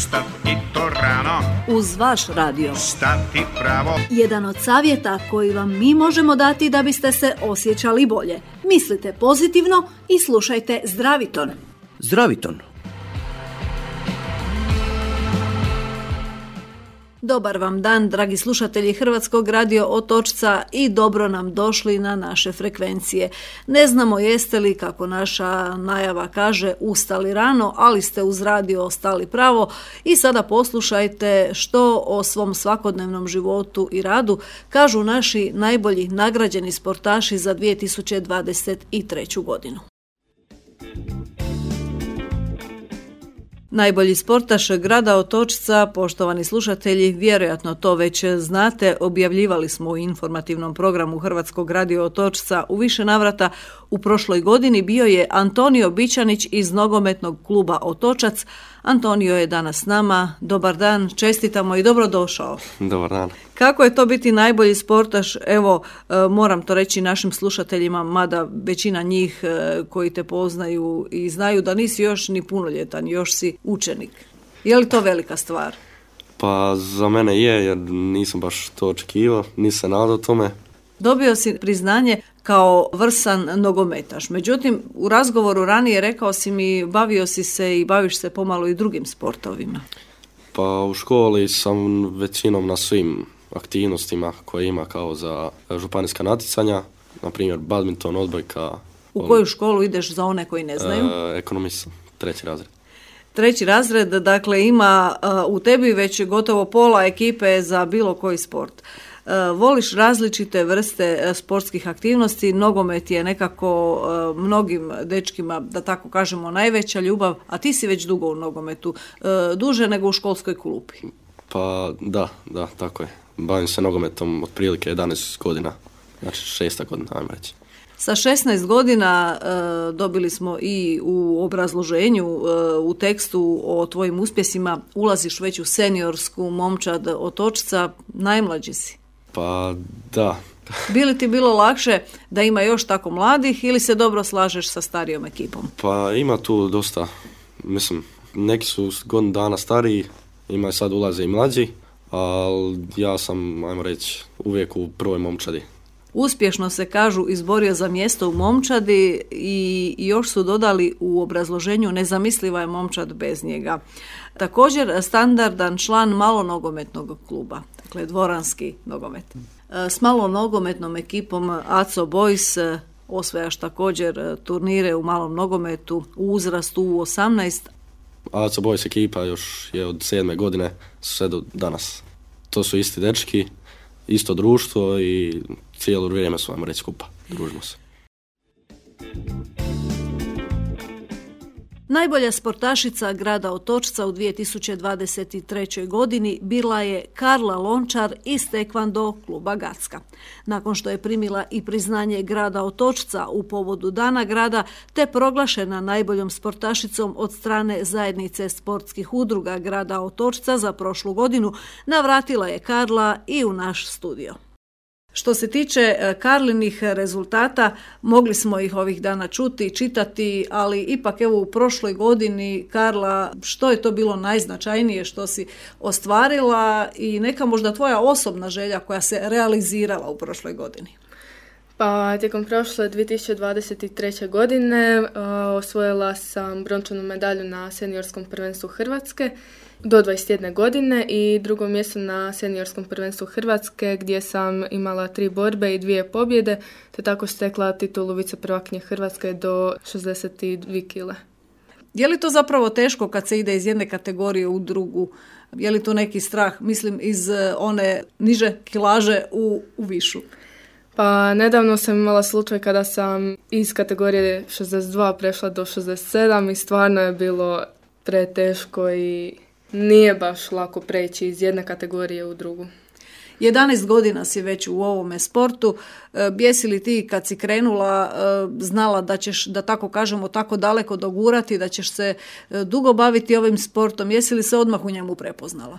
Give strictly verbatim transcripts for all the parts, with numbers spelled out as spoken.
Ustati to rano, uz vaš radio. stati pravo. Jedan od savjeta koji vam mi možemo dati da biste se osjećali bolje. Mislite pozitivno i slušajte Zdraviton. Zdraviton. Dobar vam dan, dragi slušatelji Hrvatskog radio Otočca, i dobro nam došli na naše frekvencije. Ne znamo jeste li, kako naša najava kaže, ustali rano, ali ste uz radio ostali pravo i sada poslušajte što o svom svakodnevnom životu i radu kažu naši najbolji nagrađeni sportaši za dvije tisuće dvadeset treću godinu. Najbolji sportaš grada Otočca, poštovani slušatelji, vjerojatno to već znate, objavljivali smo u informativnom programu Hrvatskog radio Otočca u više navrata. U prošloj godini bio je Antonio Bičanić iz nogometnog kluba Otočac. Antonio je danas s nama. Dobar dan, čestitamo i dobrodošao. Dobar dan. Kako je to biti najbolji sportaš? Evo, moram to reći našim slušateljima, mada većina njih koji te poznaju i znaju da nisi još ni punoljetan, još si učenik. Je li to velika stvar? Pa za mene je, jer nisam baš to očekivao, nisam nadao tome. Dobio si priznanje kao vrsan nogometaš. Međutim, u razgovoru ranije rekao si mi, bavio si se i baviš se pomalo i drugim sportovima. Pa u školi sam većinom na svim aktivnostima koje ima kao za županijska natjecanja, na primjer badminton, odbojka. U koju školu ideš za one koji ne znaju? E, ekonomist, treći razred. Treći razred, dakle, ima uh, u tebi već gotovo pola ekipe za bilo koji sport. Uh, voliš različite vrste uh, sportskih aktivnosti, nogomet je nekako uh, mnogim dečkima, da tako kažemo, najveća ljubav, a ti si već dugo u nogometu, uh, duže nego u školskoj klupi. Pa da, da, tako je. Bavim se nogometom otprilike jedanaest godina, znači šesta godina, ajmo reći. Sa šesnaest godina e, dobili smo i u obrazloženju, e, u tekstu o tvojim uspjesima, ulaziš već u seniorsku momčad Otočca, najmlađi si. Pa da. Bi li ti bilo lakše da ima još tako mladih ili se dobro slažeš sa starijom ekipom? Pa ima tu dosta, mislim, neki su godinu dana stariji, ima sad ulaze i mlađi, ali ja sam, ajmo reći, uvijek u prvoj momčadi. Uspješno se, kažu, izborio za mjesto u momčadi i još su dodali u obrazloženju, nezamisliva je momčad bez njega. Također standardan član malonogometnog kluba, dakle dvoranski nogomet. S malonogometnom ekipom A C O Boys osvajaš također turnire u malom nogometu u uzrastu U osamnaest. A C O Boys ekipa još je od sedme godine sve do danas. To su isti dečki, isto društvo i cijelo vrijeme su, vam reći, skupa. Družimo se. Najbolja sportašica grada Otočca u dvije tisuće dvadeset trećoj godini bila je Karla Lončar iz tekvando kluba Gacka. Nakon što je primila i priznanje grada Otočca u povodu Dana grada, te proglašena najboljom sportašicom od strane zajednice sportskih udruga grada Otočca za prošlu godinu, navratila je Karla i u naš studio. Što se tiče Karlinih rezultata, mogli smo ih ovih dana čuti, čitati, ali ipak evo u prošloj godini, Karla, što je to bilo najznačajnije što si ostvarila i neka možda tvoja osobna želja koja se realizirala u prošloj godini? Pa tijekom prošle dvije tisuće dvadeset treće godine uh, osvojila sam brončanu medalju na seniorskom prvenstvu Hrvatske do dvadeset jedne godine i drugo mjesto na seniorskom prvenstvu Hrvatske gdje sam imala tri borbe i dvije pobjede, te tako stekla titulu viceprvakinje Hrvatske do šezdeset dvije kile. Je li to zapravo teško kad se ide iz jedne kategorije u drugu? Je li to neki strah, mislim, iz one niže kilaže u, u višu? Pa nedavno sam imala slučaj kada sam iz kategorije šezdeset dva prešla do šezdeset sedam i stvarno je bilo preteško i nije baš lako preći iz jedne kategorije u drugu. jedanaest godina si već u ovome sportu. Jesi li ti kad si krenula znala da ćeš, da tako kažemo, tako daleko dogurati, da ćeš se dugo baviti ovim sportom? Jesi li se odmah u njemu prepoznala?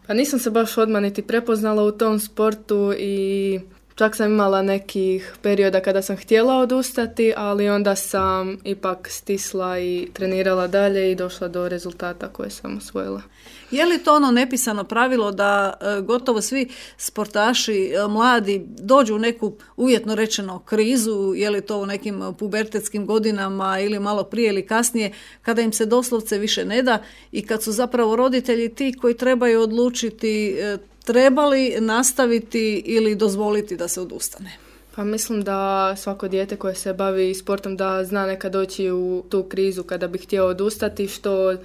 Pa nisam se baš odmah niti prepoznala u tom sportu i Čak sam imala nekih perioda kada sam htjela odustati, ali onda sam ipak stisla i trenirala dalje i došla do rezultata koje sam osvojila. Je li to ono nepisano pravilo da e, gotovo svi sportaši e, mladi dođu u neku uvjetno rečeno krizu, je li to u nekim pubertetskim godinama ili malo prije ili kasnije, kada im se doslovce više ne da i kad su zapravo roditelji ti koji trebaju odlučiti e, treba li nastaviti ili dozvoliti da se odustane? Pa mislim da svako dijete koje se bavi sportom da zna nekad doći u tu krizu kada bi htio odustati, što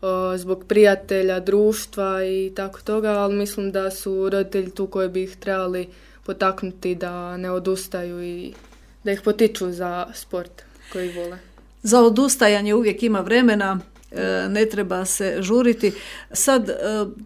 o, zbog prijatelja, društva i tako toga, ali mislim da su roditelji tu koji bi ih trebali potaknuti da ne odustaju i da ih potiču za sport koji vole. Za odustajanje uvijek ima vremena, ne treba se žuriti. Sad,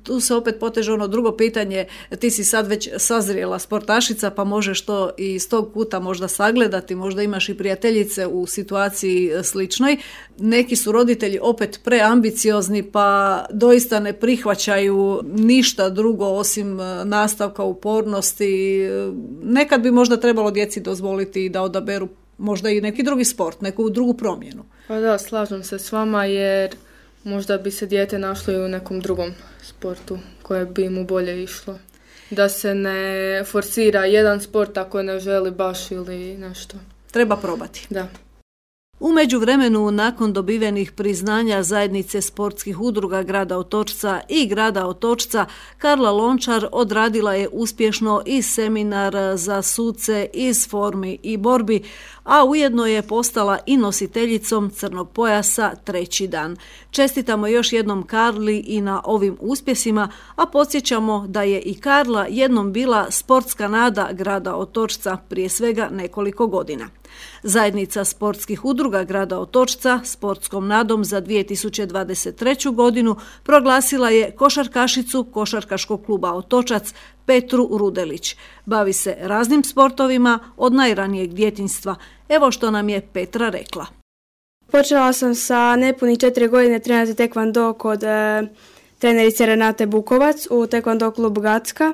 tu se opet poteže ono drugo pitanje, ti si sad već sazrijela sportašica, pa možeš to i iz tog kuta možda sagledati, možda imaš i prijateljice u situaciji sličnoj. Neki su roditelji opet preambiciozni, pa doista ne prihvaćaju ništa drugo osim nastavka upornosti. Nekad bi možda trebalo djeci dozvoliti da odaberu možda i neki drugi sport, neku drugu promjenu. Pa da, slažem se s vama jer možda bi se dijete našlo i u nekom drugom sportu koje bi mu bolje išlo. Da se ne forsira jedan sport ako ne želi baš ili nešto. Treba probati. Da. U međuvremenu, nakon dobivenih priznanja zajednice sportskih udruga grada Otočca i grada Otočca, Karla Lončar odradila je uspješno i seminar za suce iz formi i borbi, a ujedno je postala i nositeljicom crnog pojasa treći dan. Čestitamo još jednom Karli i na ovim uspjesima, a podsjećamo da je i Karla jednom bila sportska nada grada Otočca prije svega nekoliko godina. Zajednica sportskih udruga grada Otočca sportskom nadom za dvije tisuće dvadeset treću. godinu proglasila je košarkašicu Košarkaškog kluba Otočac Petru Rudelić. Bavi se raznim sportovima od najranijeg djetinjstva. Evo što nam je Petra rekla. Počela sam sa nepunih četiri godine trenirati tekvando kod e, trenerice Renate Bukovac u tekvando klubu Gacka.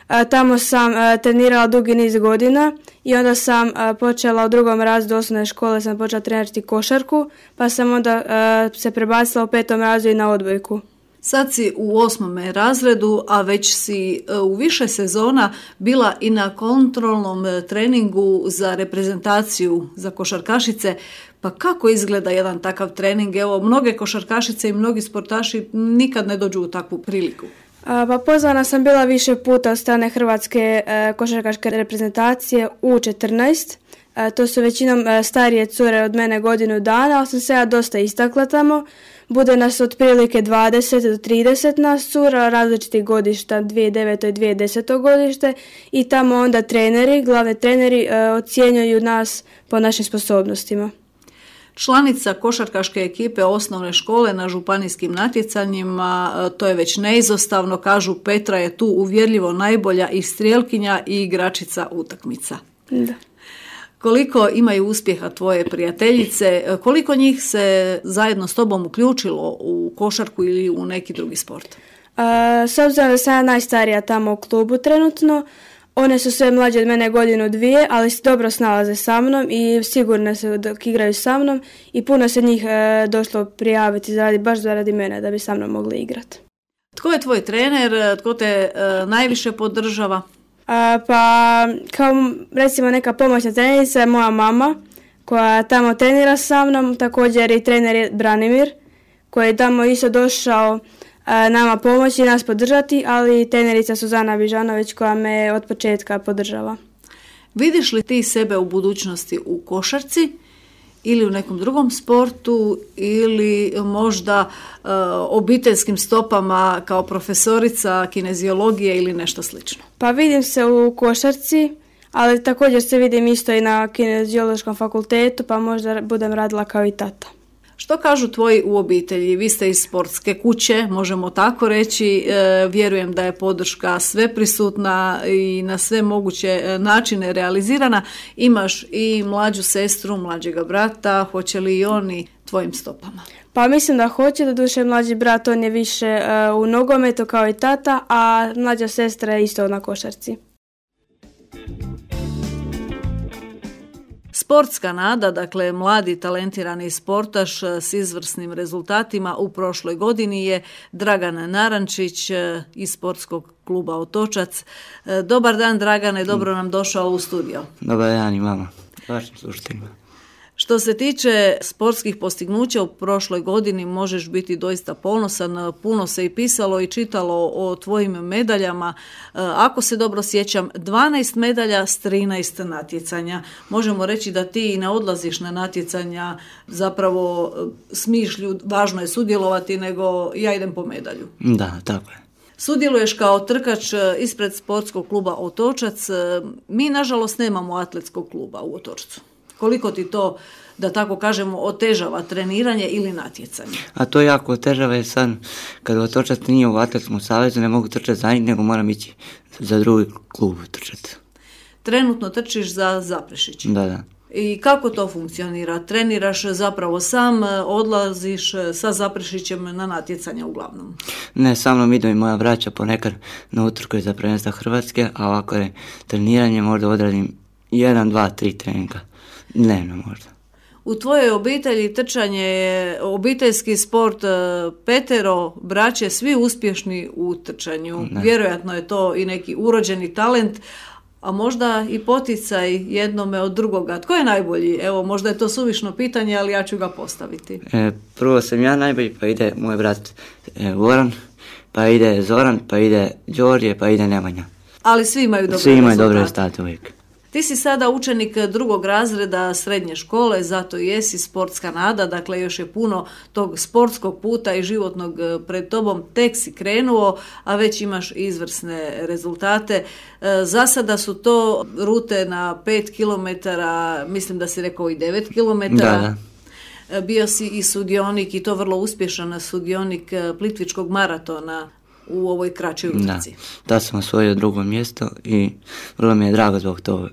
E, tamo sam e, trenirala dugi niz godina i onda sam e, počela u drugom razredu osnovne škole sam počela trenirati košarku, pa sam onda e, se prebacila u petom razredu i na odbojku. Sad si u osmome razredu, a već si u više sezona bila i na kontrolnom treningu za reprezentaciju za košarkašice. Pa kako izgleda jedan takav trening? Evo, mnoge košarkašice i mnogi sportaši nikad ne dođu u takvu priliku. A, pa pozvana sam bila više puta od strane Hrvatske e, košarkaške reprezentacije U četrnaest. E, to su većinom e, starije cure od mene godinu dana, ali sam se ja dosta istakla tamo. Bude nas otprilike dvadeset do trideset nas cura, različitih godišta, dvije tisuće deveto i dvije tisuće deseto godište i tamo onda treneri, glavni treneri e, ocjenjuju nas po našim sposobnostima. Članica košarkaške ekipe osnovne škole na županijskim natjecanjima, to je već neizostavno, kažu Petra je tu uvjerljivo najbolja i strijelkinja i igračica utakmica. Da. Koliko imaju uspjeha tvoje prijateljice, koliko njih se zajedno s tobom uključilo u košarku ili u neki drugi sport? A, s obzirom da sam ja najstarija tamo u klubu trenutno, one su sve mlađe od mene godinu dvije, ali se dobro snalaze sa mnom i sigurno se dok igraju sa mnom i puno se njih e, došlo prijaviti zaradi, baš zaradi mene da bi sa mnom mogli igrati. Tko je tvoj trener, tko te e, najviše podržava? A, pa kao recimo neka pomoćna trenica je moja mama koja tamo trenira sa mnom, također i trener je Branimir koji je tamo isto došao a, nama pomoći i nas podržati, ali trenerica Suzana Bižanović koja me od početka podržava. Vidiš li ti sebe u budućnosti u košarci ili u nekom drugom sportu ili možda e, obiteljskim stopama kao profesorica kineziologije ili nešto slično? Pa vidim se u košarci, ali također se vidim isto i na kineziološkom fakultetu, pa možda budem radila kao i tata. Što kažu tvoji u obitelji? Vi ste iz sportske kuće, možemo tako reći. E, vjerujem da je podrška sveprisutna i na sve moguće načine realizirana. Imaš i mlađu sestru, mlađega brata. Hoće li i oni tvojim stopama? Pa mislim da hoće, doduše mlađi brat on je više uh, u nogometu kao i tata, a mlađa sestra je isto na košarci. Sportska nada, dakle mladi talentirani sportaš s izvrsnim rezultatima u prošloj godini je Dragan Narančić iz sportskog kluba Otočac. Dobar dan Dragane, dobro nam došao u studio. Dobar dan i vama, vašim slušateljima. Što se tiče sportskih postignuća u prošloj godini možeš biti doista ponosan, puno se i pisalo i čitalo o tvojim medaljama. Ako se dobro sjećam, dvanaest medalja s trinaest natjecanja. Možemo reći da ti ne odlaziš na natjecanja zapravo s mišlju, važno je sudjelovati, nego ja idem po medalju. Da, tako je. Sudjeluješ kao trkač ispred sportskog kluba Otočac. Mi, nažalost, nemamo atletskog kluba u Otočcu. Koliko ti to, da tako kažemo, otežava treniranje ili natjecanje? A to jako otežava jer sad, kad Otočac nije u atletskom savezu, ne mogu trčati za njih, nego moram ići za drugi klub trčati. Trenutno trčiš za Zaprešić? Da, da. I kako to funkcionira? Treniraš zapravo sam, odlaziš sa Zaprešićem na natjecanja uglavnom? Ne, sa mnom idu i moja braća ponekad na utrke za prvenstva Hrvatske, a ovako je treniranje možda odradim jedan, dva, tri treninga. Dnevno možda. U tvojoj obitelji trčanje je obiteljski sport, petero braće, svi uspješni u trčanju. Ne. Vjerojatno je to i neki urođeni talent, a možda i poticaj jednome od drugoga. Tko je najbolji? Evo, možda je to suvišno pitanje, ali ja ću ga postaviti. E, prvo sam ja najbolji, pa ide moj brat e, Goran, pa ide Zoran, pa ide Đorđe, pa ide Nemanja. Ali svi imaju dobre svi imaju rezultate. dobre rezultate uvijek. Ti si sada učenik drugog razreda srednje škole, zato jesi sportska nada, dakle još je puno tog sportskog puta i životnog pred tobom, tek si krenuo, a već imaš izvrsne rezultate. Za sada su to rute na pet kilometara, mislim da si rekao i devet kilometara. Da, da. Bio si i sudionik, i to vrlo uspješan sudionik Plitvičkog maratona u ovoj kraćoj utrci. Da, da sam osvojio drugo mjesto i vrlo mi je drago zbog toga.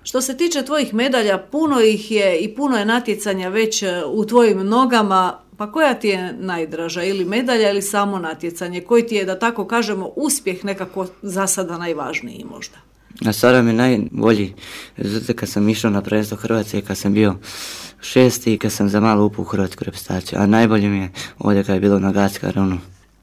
Što se tiče tvojih medalja, puno ih je i puno je natjecanja već u tvojim nogama, pa koja ti je najdraža, ili medalja ili samo natjecanje? Koji ti je, da tako kažemo, uspjeh nekako za sada najvažniji možda? A sada mi najbolji rezultat kad sam išao na prvenstvo Hrvatske, kad sam bio šesti i kad sam za malo upao u hrvatsku reprezentaciju, a najbolje mi je ovdje kad je bilo na Gatska ravno.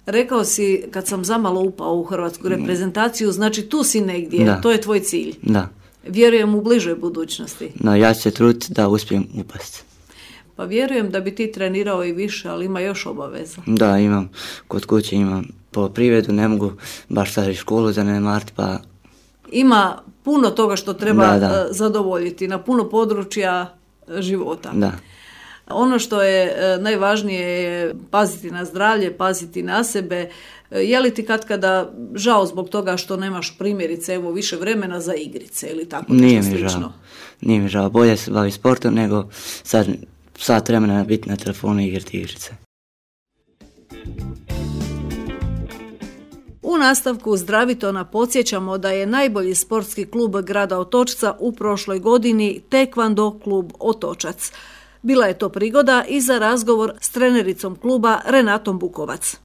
Rekao si kad sam zamalo upao u hrvatsku reprezentaciju, znači tu si negdje, da. To je tvoj cilj. Da. Vjerujem u bližoj budućnosti. No, ja ću se truditi da uspijem upasti. Pa vjerujem da bi ti trenirao i više, ali ima još obaveza. Da, imam, kod kuće imam poljoprivredu, ne mogu baš sad i školu zanemariti, pa... Ima puno toga što treba da, da. zadovoljiti na puno područja života. Da. Ono što je najvažnije je paziti na zdravlje, paziti na sebe. Je li ti kad kada žao zbog toga što nemaš primjerice evo više vremena za igrice ili tako nešto Nije mi slično? Žao. Nije mi žao. Bolje se bavi sportom nego sad sat vremena biti na telefonu i igrati igrice. U nastavku Zdravitona podsjećamo da je najbolji sportski klub grada Otočca u prošloj godini Tekvando klub Otočac. Bila je to prigoda i za razgovor s trenericom kluba Renatom Bukovac.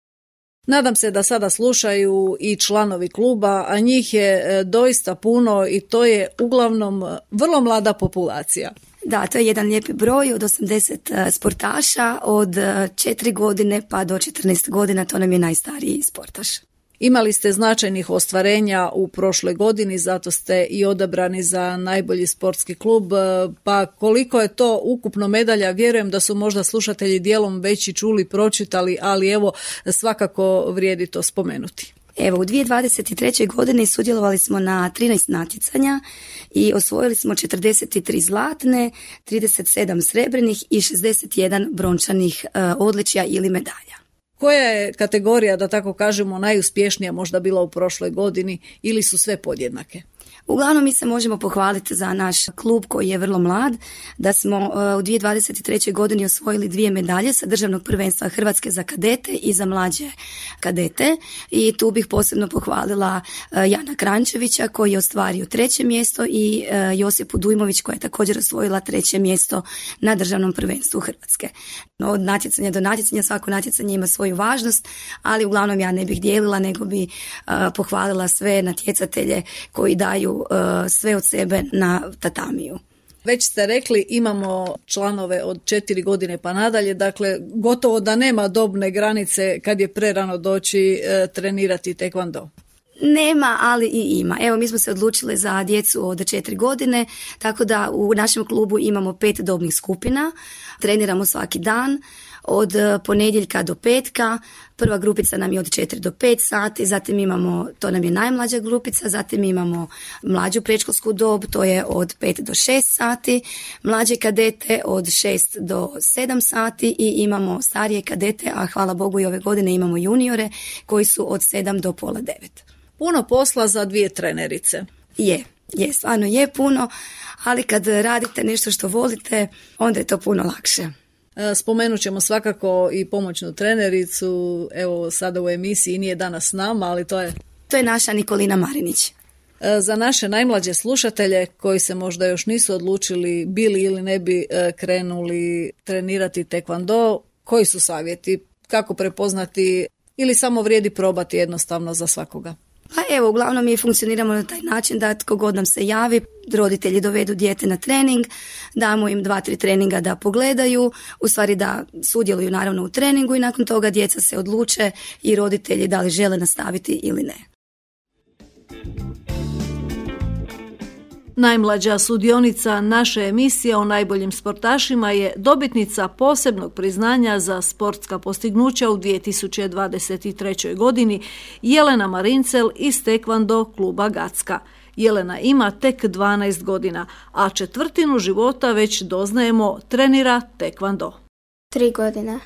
Nadam se da sada slušaju i članovi kluba, a njih je doista puno i to je uglavnom vrlo mlada populacija. Da, to je jedan lijepi broj od osamdeset sportaša, od četiri godine pa do četrnaest godina, to nam je najstariji sportaš. Imali ste značajnih ostvarenja u prošloj godini, zato ste i odabrani za najbolji sportski klub, pa koliko je to ukupno medalja, vjerujem da su možda slušatelji dijelom već i čuli, pročitali, ali evo svakako vrijedi to spomenuti. Evo, u dvije tisuće dvadeset trećoj godini sudjelovali smo na trinaest natjecanja i osvojili smo četrdeset tri zlatne, trideset sedam srebrnih i šezdeset jedan brončanih uh, odličja ili medalja. Koja je kategorija, da tako kažemo, najuspješnija možda bila u prošloj godini ili su sve podjednake? Uglavnom mi se možemo pohvaliti za naš klub koji je vrlo mlad, da smo uh, u dvije tisuće dvadeset trećoj godini osvojili dvije medalje sa državnog prvenstva Hrvatske za kadete i za mlađe kadete i tu bih posebno pohvalila uh, Jana Krančevića koji je ostvario treće mjesto i uh, Josipu Dujmović koja je također osvojila treće mjesto na državnom prvenstvu Hrvatske. Od natjecanja do natjecanja svako natjecanje ima svoju važnost, ali uglavnom ja ne bih dijelila nego bi uh, pohvalila sve natjecatelje koji daju uh, sve od sebe na tatamiju. Već ste rekli, imamo članove od četiri godine pa nadalje, dakle gotovo da nema dobne granice kad je prerano doći e, trenirati tekvando. Nema, ali i ima. Evo, mi smo se odlučili za djecu od četiri godine, tako da u našem klubu imamo pet dobnih skupina, treniramo svaki dan, od ponedjeljka do petka. Prva grupica nam je od četiri do pet sati, zatim imamo, to nam je najmlađa grupica, zatim imamo mlađu predškolsku dob, to je od pet do šest sati, mlađe kadete od šest do sedam sati i imamo starije kadete, a hvala Bogu i ove godine imamo juniore koji su od sedam do pola devet. Puno posla za dvije trenerice. Je, je, stvarno je puno, ali kad radite nešto što volite, onda je to puno lakše. Spomenut ćemo svakako i pomoćnu trenericu, evo sada u emisiji nije danas s nama, ali to je... To je naša Nikolina Marinić. Za naše najmlađe slušatelje koji se možda još nisu odlučili bili ili ne bi krenuli trenirati tekvando, koji su savjeti? Kako prepoznati ili samo vrijedi probati jednostavno za svakoga? Pa evo, uglavnom mi funkcioniramo na taj način da tko god nam se javi, roditelji dovedu dijete na trening, damo im dva, tri treninga da pogledaju, u stvari da sudjeluju naravno u treningu i nakon toga djeca se odluče i roditelji da li žele nastaviti ili ne. Najmlađa sudionica naše emisije o najboljim sportašima je dobitnica posebnog priznanja za sportska postignuća u dvije tisuće dvadeset trećoj. godini Jelena Marincel iz tekvando kluba Gacka. Jelena ima tek dvanaest godina, a četvrtinu života već doznajemo trenira tekvando. Tri godine.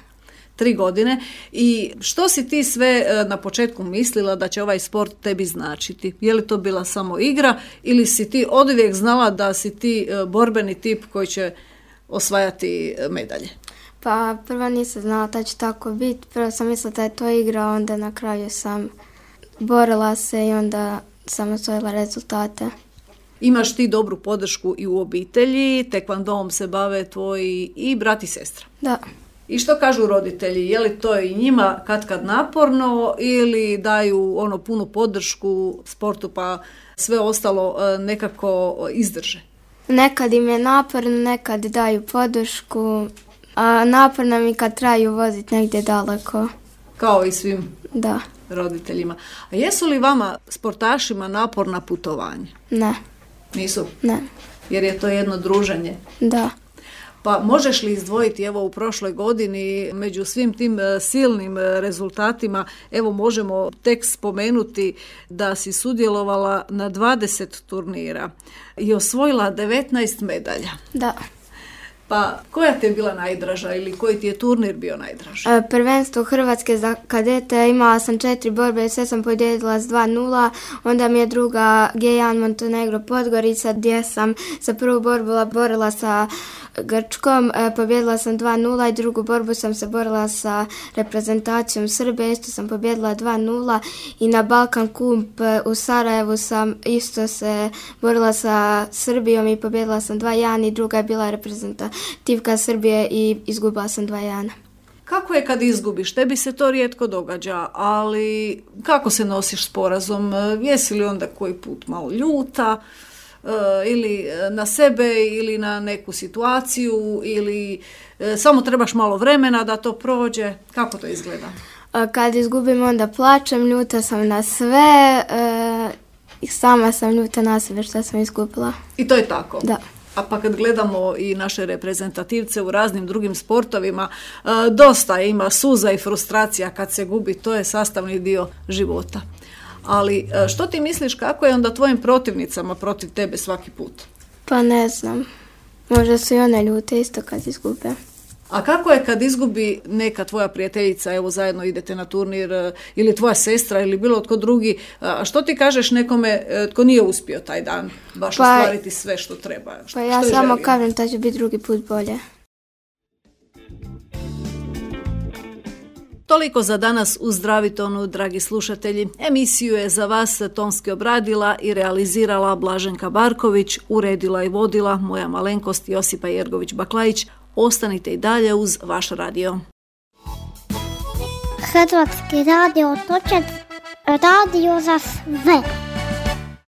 Tri godine. I što si ti sve na početku mislila da će ovaj sport tebi značiti? Je li to bila samo igra ili si ti oduvijek znala da si ti borbeni tip koji će osvajati medalje? Pa prvo nisam znala da će tako biti. Prvo sam mislila da je to igra, onda na kraju sam borila se i onda sam osvojila rezultate. Imaš ti dobru podršku i u obitelji, tekvandom se bave tvoji i brat i sestra. Da. I što kažu roditelji? Je li to i njima kad kad naporno ili daju ono punu podršku sportu pa sve ostalo nekako izdrže? Nekad im je naporno, nekad daju podršku, a naporno mi kad traju voziti negdje daleko. Kao i svim da. roditeljima. A jesu li vama sportašima naporna putovanja? Ne. Nisu? Ne. Jer je to jedno druženje? Da. Pa možeš li izdvojiti, evo u prošloj godini među svim tim silnim rezultatima, evo možemo tek spomenuti da si sudjelovala na dvadeset turnira i osvojila devetnaest medalja. Da. Pa koja ti je bila najdraža ili koji ti je turnir bio najdraži? E, prvenstvo Hrvatske za kadete, imala sam četiri borbe, sve sam pobjedila s dva nula, onda mi je druga G jedan Montenegro Podgorica gdje sam za prvu borbu borila sa Grčkom, e, pobjedila sam dva nula i drugu borbu sam se borila sa reprezentacijom Srbije, isto sam pobjedila dva nula i na Balkan Cup u Sarajevu sam isto se borila sa Srbijom i pobjedila sam dva jedan i druga je bila reprezentativka Srbije i izgubila sam dva jedan. Kako je kad izgubiš? Tebi se to rijetko događa, ali kako se nosiš s porazom? Jesi li onda koji put malo ljuta? Ili na sebe ili na neku situaciju ili samo trebaš malo vremena da to prođe? Kako to izgleda? Kad izgubim onda plačem, ljuta sam na sve i sama sam ljuta na sebe što sam izgubila. I to je tako? Da. A pa kad gledamo i naše reprezentativce u raznim drugim sportovima, dosta ima suza i frustracija kad se gubi, to je sastavni dio života. Ali što ti misliš kako je onda tvojim protivnicama protiv tebe svaki put? Pa ne znam. Možda su i one ljute isto kad izgube. A kako je kad izgubi neka tvoja prijateljica, evo zajedno idete na turnir, ili tvoja sestra ili bilo tko drugi, a što ti kažeš nekome tko nije uspio taj dan baš pa, ostvariti sve što treba? Što, pa ja što samo želio? kažem da će biti drugi put bolje. Toliko za danas u Zdravi tonu, dragi slušatelji. Emisiju je za vas tonski obradila i realizirala Blaženka Barković, uredila i vodila moja malenkost Josipa Jergović-Baklajić. Ostanite i dalje uz vaš radio. Hrvatski radio točak, radio za sve.